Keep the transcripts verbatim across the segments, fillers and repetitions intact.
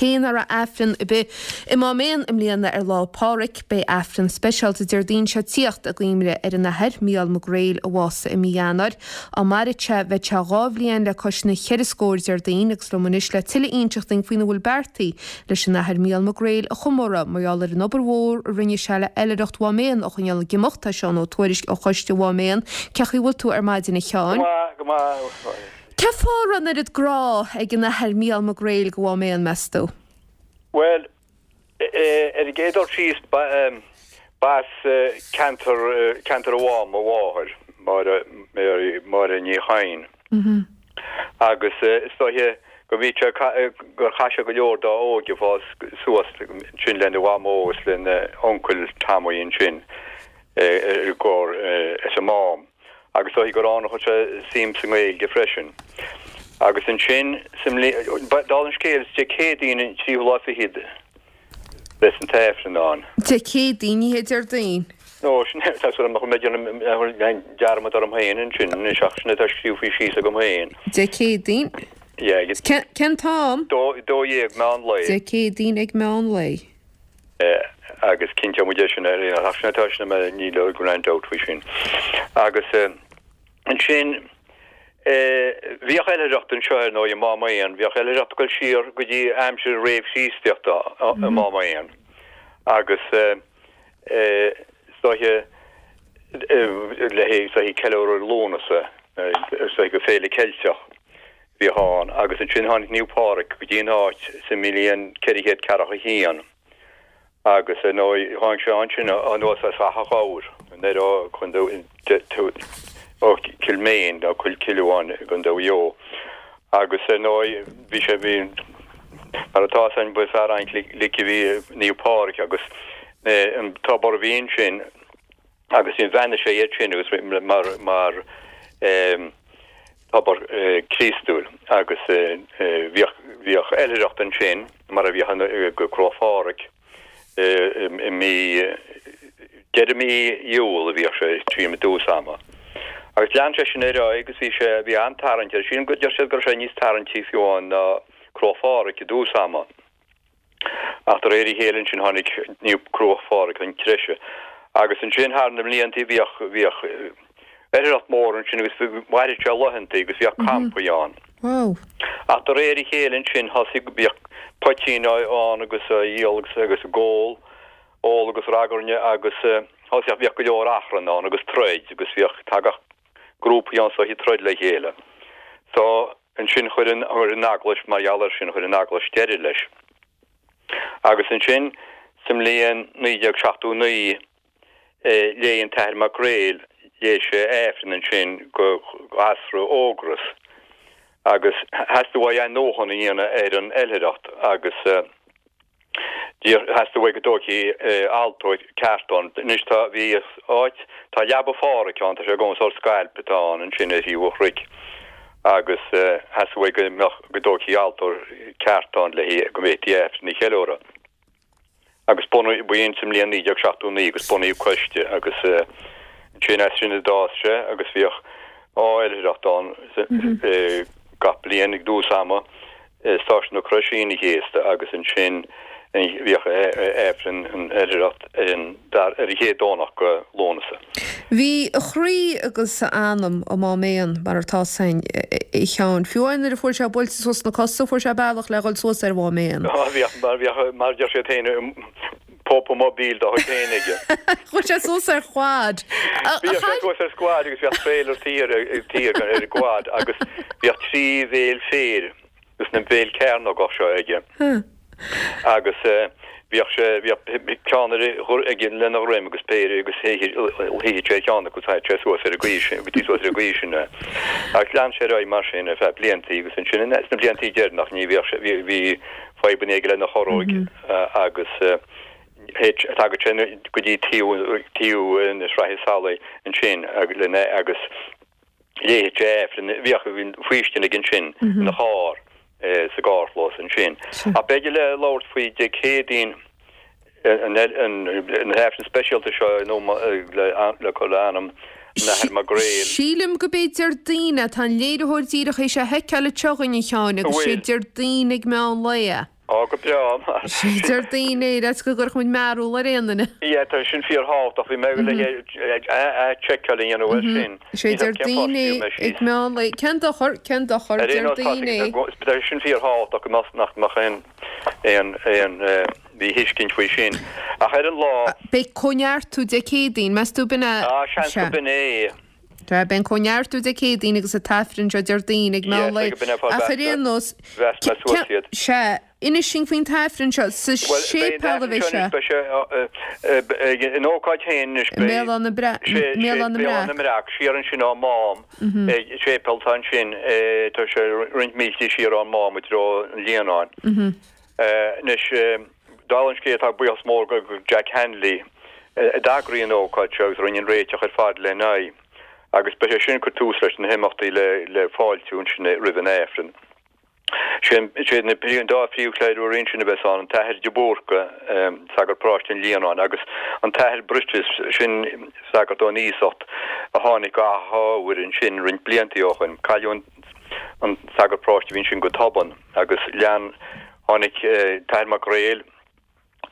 cé nach raibh Aifreann ar bith i Mám Éan i mbliana ar Lá Pádraig, beidh Aifreann speisialta Déardaoin seo tíocht i gcuimhne ar an Athair Mícheál Mac Gréil a bhásaigh i mí Eanáir. Dá mairfeadh sé bheadh sé dhá bhliain le cois na cheithre scór Déardaoin agus liom anois le tuilleadh a inseacht dúinn faoina bhfuil beartaithe leis an Athair Mícheál Mac Gréil a chomóradh mar gheall ar an obair mhór a rinne sé le hoilithreacht Mhám Éan a choinneáil ag imeacht, tá Seán Ó Tuairisg ó Choiste Mhám Éan. Cén chaoi a bhfuil tú ar maidin a Sheáin? Go maith, go maith. Cén fáth a raibh an oiread grá ag an Athair Mícheál Mac Gréil go Mhám Éan, meas tú? Bhuel, ar an gcéad dul síos, b'as ceantar, ceantar an Mháma a mháthair, Máire, Mary, Máire Ní Chadhain. Agus is dóiche go mbí sé, gur chaith sé go leor dá óige ag fás suas ansin lena mhamó agus lena uncail Tommy ansin i gcomhar is an Mám. Agus is dóiche gur ann a chuir sé suim sa nGaeilge freisin. Agus ansin sa mbliain, dála an scéil, is Dé Céadaoin an tríú lá fichead bheas an t-Aifreann ann. Dé Céadaoin, ní hé Déardaoin. No, sin é, tá súil agam nach mbeidh déanamh dearmad orm féin ansin anois ach sin atá scríofa síos agam féin. Dé Céadaoin. Yeah. Cén t-am? Dó, dó dhéag meán lae. Dé Céadaoin ag meán lae. Agus cinnteoidh muid é sin ar aon ach sin atá sin mé níl aon doubt faoi sin. Agus ansin bhíodh oilithreacht anseo ar ndóigh i Mám Éan, bhíodh oilithreacht ag dul siar go dtí aimsir réamh-Chríostaíochta i Mám Éan. Agus is dóiche le is dóiche ceiliúradh Lúnasa, is dóiche go féile Ceilteach bhíodh ann. Agus ansin tháinig Naomh Pádraig go dtí an áit sa mbliain ceithre chéad ceathracha a haon. Agus ar ndóigh tháinig sé ansin anuas as Achadh Ghabhair, anoir ó ó Cill Méin, nó Cill Cill Mheáin i gContae Mhaigh Eo. Agus ar ndóigh bhí sé, bhí, mar atá fhios againn, ba fear an-ghlic a bhí i Naomh Pádraig agus an tobar a bhí ansin agus bhí bheannaigh sé iad sin agus mar, mar tobar Críostúil agus bhíodh, bhíodh oilithreacht ansin mar a bhíodh go Crois Phádraig. I mí, deireadh mí Iúil a bhíodh sé tríom i dtús ama. Agus lean sé sin ar aghaidh agus bhí sé, bhí an-tarraingt air. Sílim go, deir siad go raibh sé níos tarraingtí fiú amháin ná Crois Phádraig i dtús ama. Ach de réir a chéile ansin tháinig Naomh Crois Phádraig chun treise. Agus ansin thar na mblianta bhíodh, bhíodh oilithreacht mór ansin agus mhaireadh sé laethanta agus bhíodh campaí ann. Wow. Ach de réir a chéile ansin thosaigh, bhíodh poitín ann agus á dhíol agus agus ag ól, ól agus ragairne agus thosaigh, bhíodh go leor achrann ann agus troid agus bhíodh, tagadh grúpaí ann so ag troid le chéile. So ansin chuir an, chuir an Eaglais, mar gheall air sin, chuir an Eaglais deireadh leis. Agus ansin sa mbliain naoi déag seachtó naoi léigh an tAthair Mac Gréil, léigh sé Aifreann ansin go ghasra Ógras agus theastaigh uaidh athnuachan a dhéanamh ar an oilithreacht agus theastaigh uaidh go dtógfaí altóir ceart ann. Anois tá, bhí áit, tá Leaba Phádhraic ann, tá sé agam, sórt scailp atá ann ansin ar thaobh an chnoic agus theastaigh uaidh go mbeadh, go dtógfaí altóir ceart ann le go bhféadfaí Aifreann a cheiliúradh. Agus bunaíodh, b'in sa mbliain naoi déag seachtó naoi agus bunaíodh coiste agus ansin as sin a d'fhás sé agus bhíodh oilithreacht ann gach bliain ag dtús ama, Stáisiún na Croise Aoine an Chéasta agus ansin bhíodh Aifreann an oilithreacht ar an ar an chéad Domhnach go Lúnasa. Bhí a chroí agus a anam i Mám Éan mar atá fhios againn, a Sheáin. Fiú amháin nuair a fuair sé buailte suas sna cosa, fuair sé bealach le dhul suas ar Mhám Éan. Á, bhíodh, mar bhíodh, mar a deir siad féin, popemobile dá chuid féin aige. Chuaigh sé suas ar quad. Bhíodh sé suas ar squad agus bhíodh trailer thiar thiar ar an gquad agus bhíodh trí bhéal féir agus na béil cearnógach seo aige. Agus bhíodh sé, bhíodh ceann ar aige lena dhroim agus péire agus shuíodh sé ar cheann acu agus thagadh sé suas ar an gcaoi sin, go dtí suas ar an gcaoi sin é. Agus lean sé ar aghaidh mar sin ar feadh bliantaí agus ansin sna bliantaí deireanach ní bhíodh sé, bhí, bhí fadhbanna aige lena chorróig agus thagadh sé go dtí taobh, taobh na Sraithe Salaí ansin lena agus léifeadh sé Aifreann, bhíodh faoistin aige ansin ina charr sa gcarrchlós ansin. Ach b'fhéidir le labhairt faoi Dé Céadaoin an Aifreann speisialta seo le cur le anam an Athar Mac Gréil. Sílim go b'é Déardaoin é, tá an léiritheoir díreach théis é a sheiceáil anseo againn a Sheáin agus sé Déardaoin ag meán lae é. Ó Á, go breá. Sé Déardaoin é, le go gcuirfeadh muid mearbhall ar aon duine. Yeah, tá sin fíorthábhachtach, bhí mé le seiceáil a dhéanamh air sin. Sé Déardaoin é ag meán lae. Cén dochar, cén dochar, Déardaoin é. Tá sin fíorthábhachtach go mbeadh nach mbeadh aon aon aon mhíthuiscint faoi sin. Ach ar an lá. Beidh Cóineartú Dé Céadaoin, meas tú b'in é? Á, seans go b'in é. Tá, beidh an Cóineartú Dé Céadaoin agus an tAifreann seo Déardaoin ag meán lae. Ach ar aon nós, sea, inis dúinn faoin tAifreann seo, sa séipéal a bheidh sé. Beidh sé an ócáid féin anois, beidh. I mBéal Átha na na mBreac, siar ansin ón Mám, séipéal atá ansin, tá sé roinnt míltí siar ón Mám i dtreo an Líonáin. Anois, dála an scéil, tá buíochas mór go Jack Hanley a d'eagraigh an ócáid seo agus a rinne an réiteach ar fad lena aghaidh. Agus beidh sé sin ag cur tús leis na himeachtaí le fáiltiú ansin roimh an Aifreann. Sé na an dá phríomhchléireoir ansin a bheas ann, an tAthair de Búrca, sagart paróiste an Líonáin, agus an tAthair Brittis, sin sagart ón iasacht a tháinig go hAth Ghobhair ansin roinnt blianta ó shoin. Cailleadh an sagart paróiste a bhí ansin go tobann agus lean, tháinig tAthair Mac Gréil,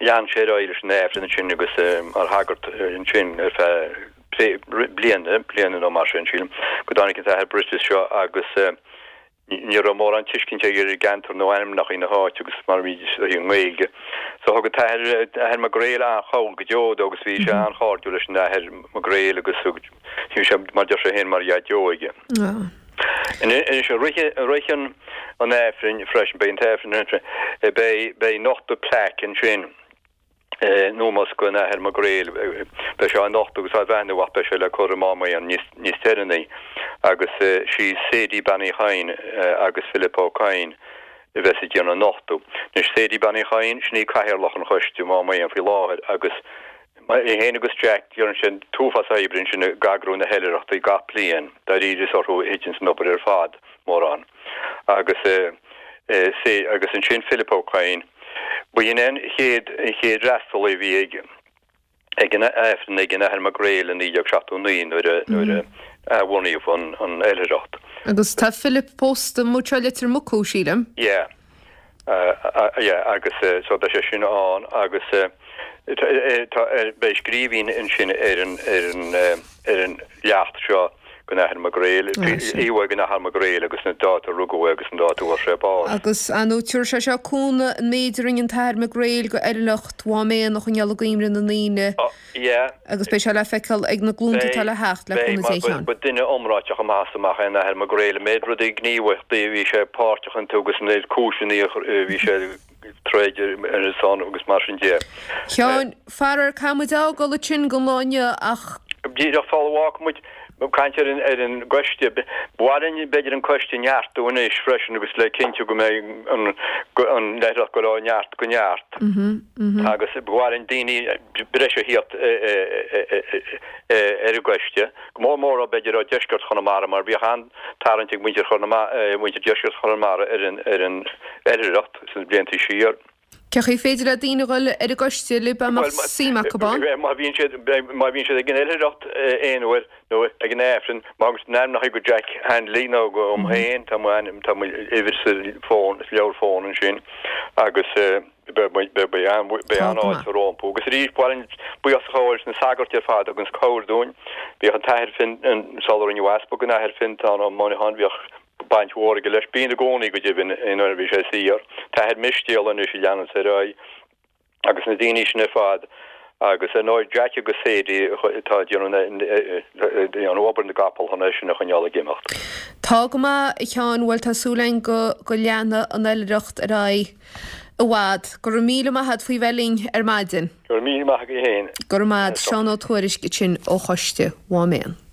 Lean sé ar aghaidh leis an Aifreann ansin agus mar shagart ansin ar feadh bliana, bliana nó mar sin, sílim, go dtáinig an tAthair Brittis seo agus ní raibh mórán tuiscint aige ar an gceantar nó ainmneacha na háite agus mar a bhí i nGaeilge. So thug an tAthair, Athair Mac Gréil an-chabhair go deo dó agus bhí sé an-chairdiúil leis an Athair Mac Gréil agus bhí sé, mar deir sé féin, mar dhaideo aige. Anois, i rith an Aifrinn freisin, beidh an tAifreann ansin, beidh, beidh nochtadh plaic ansin in ómós don Athair Mac Gréil, beidh sé á nochtadh agus á bheannú ach beidh sé le cur i Mám Éan níos, níos deireanaí agus sí Sadie Bean Uí Chadhain agus Philip Ó Cadhain a bheas ag déanamh an nochtadh. Anois, Sadie Bean Uí Chadhain, sin í cathaoirleach an choiste i Mám Éan faoi láthair agus Í féin agus Jack, déanann siad an t-uafás oibre ansin ag eagrú na hoilithreachtaí gach bliain, dáiríre is orthu a thiteanns an obair ar fad, mórán. Agus agus ansin Philip Ó Cadhain, ba shin é an chéad an chéad fhreastalaí a bhí ag ag an Aifreann ag an Athair Mac Gréil i naoi déag seachtó naoi nuair a nuair a athbhunaíodh an an oilithreacht. Agus tá Philip pósta amuigh i Leitir Mucú, sílim. Yeah. Yeah agus so beidh sé sin ann agus tá beidh scríbhinn ansin ar an ar an ar an leacht seo den Athair Mac Gréil, íomhá den Athair Mac Gréil agus an dáta a rugadh é agus an dáta a bhfuair sé bás. Agus ar ndóigh tabharfaidh sé seo cúnamh an méid a rinne an tAthair Mac Gréil go oilithreacht Mhám Éan a choinneáil i gcuimhne na ndaoine. Yeah. Agus beidh sé le feiceáil ag na glúnta atá le theacht, le cúnamh Dé a Sheáin. Ba duine iomráiteach amach is amach é an Athair Mac Gréil. An méid rudaí gníomhaíochtaí a bhí sé páirteach iontu agus an méid cúiseanna a bhí sé ag troid ar a son agus mar sin de. Sheáin, faraor caithfidh muid a fhágáil ansin don lá inniu ach. Díreach sula bhfágfaidh muid, ag caint ar an ar an gcoiste, ba mhaith linn b'fhéidir an coiste a neartú anois freisin agus le cinntiú go mbeidh an an oilithreacht ag dul ó neart go neart agus ba mhaith linn daoine breise a thíocht ar an gcoiste, go mór mór ó b'fhéidir ó dheisceart Chonamara mar bhíodh an-tarraingt ag muintir Chonamara, muintir deisceart Chonamara ar an ar an oilithreacht sna blianta siar. Cé chaoi féidir le daoine dhul ar an gcoiste libh dá mbeadh suim acu ann? Má bhíonn siad má bhíonn siad ag an oilithreacht aon uair nó ag an Aifreann, má thugann siad a n-ainmneacha go Jack Hanley nó go dom féin, tá mo ainm, tá m'uimhir sa fón, sa leabhar fón ansin agus beidh an-fháilte rompu. Agus arís, ba mhaith linn buíochas a ghabháil leis na sagairt ar fad a thuganns cabhair dúinn. Bhíodh an tAthair Finn, sular rinneadh easpag den Athair Fiontán Ó Monacháin, bhíodh baint mhór aige leis. Bíonn i gcónaí go deimhin nuair a bhí sé saor. An tAthair Mistéal anois a leananns ar aghaidh agus na daoine sin ar fad agus ar ndóigh Jack agus Sadie atá ag déanamh obair na gcapall chun é sin a choinneáil ag imeacht. Tá go maith, a Sheáin, bhuel tá súil againn go go leanfaidh an oilithreacht ar aghaidh i bhfad. Go raibh míle maith a't faoi bheith linn ar maidin. Go raibh míle maith agat féin. Go raibh maith a't. Seán Ó Tuairisg ansin ó Choiste Mhám Éan.